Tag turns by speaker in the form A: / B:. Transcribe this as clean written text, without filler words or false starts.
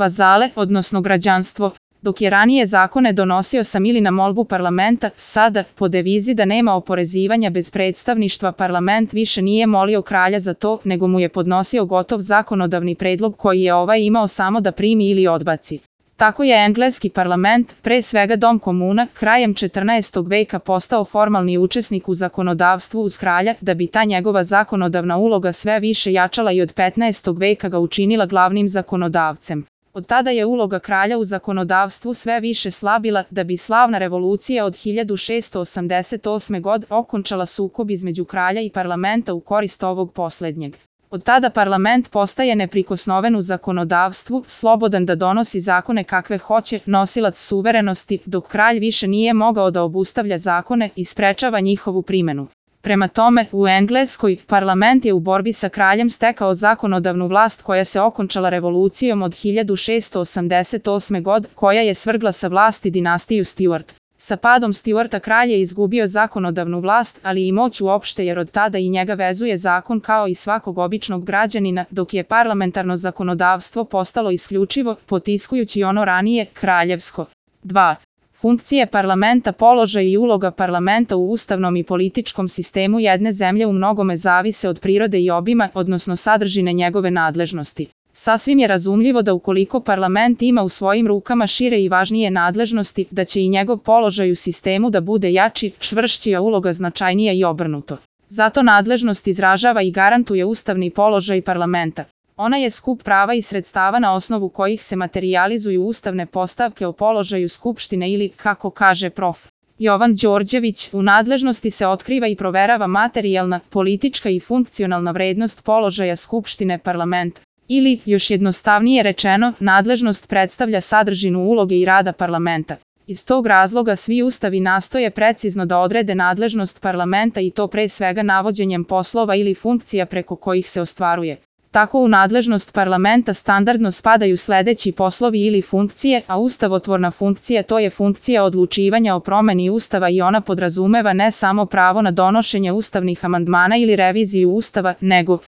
A: vazale, odnosno građanstvo. Dok je ranije zakone donosio sam ili na molbu parlamenta, sada, po devizi da nema oporezivanja bez predstavništva, parlament više nije molio kralja za to, nego mu je podnosio gotov zakonodavni predlog koji je ovaj imao samo da primi ili odbaci. Tako je engleski parlament, pre svega dom komuna, krajem 14. veka postao formalni učesnik u zakonodavstvu uz kralja, da bi ta njegova zakonodavna uloga sve više jačala i od 15. veka ga učinila glavnim zakonodavcem. Od tada je uloga kralja u zakonodavstvu sve više slabila, da bi slavna revolucija od 1688. godine okončala sukob između kralja i parlamenta u korist ovog poslednjeg. Od tada parlament postaje neprikosnoven u zakonodavstvu, slobodan da donosi zakone kakve hoće, nosilac suverenosti, dok kralj više nije mogao da obustavlja zakone i sprečava njihovu primenu. Prema tome, u Engleskoj, parlament je u borbi sa kraljem stekao zakonodavnu vlast koja se okončala revolucijom od 1688. godine, koja je svrgla sa vlasti dinastiju Stuart. Sa padom Stuarta kralj je izgubio zakonodavnu vlast, ali i moć uopšte, jer od tada i njega vezuje zakon kao i svakog običnog građanina, dok je parlamentarno zakonodavstvo postalo isključivo, potiskujući ono ranije, kraljevsko. 2. Funkcije parlamenta, položaj i uloga parlamenta u ustavnom i političkom sistemu jedne zemlje u mnogome zavise od prirode i obima, odnosno sadržine njegove nadležnosti. Sasvim je razumljivo da ukoliko parlament ima u svojim rukama šire i važnije nadležnosti, da će i njegov položaj u sistemu da bude jači, čvršći, a uloga značajnija i obrnuto. Zato nadležnost izražava i garantuje ustavni položaj parlamenta. Ona je skup prava i sredstava na osnovu kojih se materijalizuju ustavne postavke o položaju Skupštine ili, kako kaže prof. Jovan Đorđević, u nadležnosti se otkriva i proverava materijalna, politička i funkcionalna vrednost položaja Skupštine parlamenta. Ili, još jednostavnije rečeno, nadležnost predstavlja sadržinu uloge i rada parlamenta. Iz tog razloga svi ustavi nastoje precizno da odrede nadležnost parlamenta i to pre svega navođenjem poslova ili funkcija preko kojih se ostvaruje. Tako u nadležnost parlamenta standardno spadaju sledeći poslovi ili funkcije, a ustavotvorna funkcija to je funkcija odlučivanja o promeni ustava i ona podrazumeva ne samo pravo na donošenje ustavnih amandmana ili reviziju ustava, nego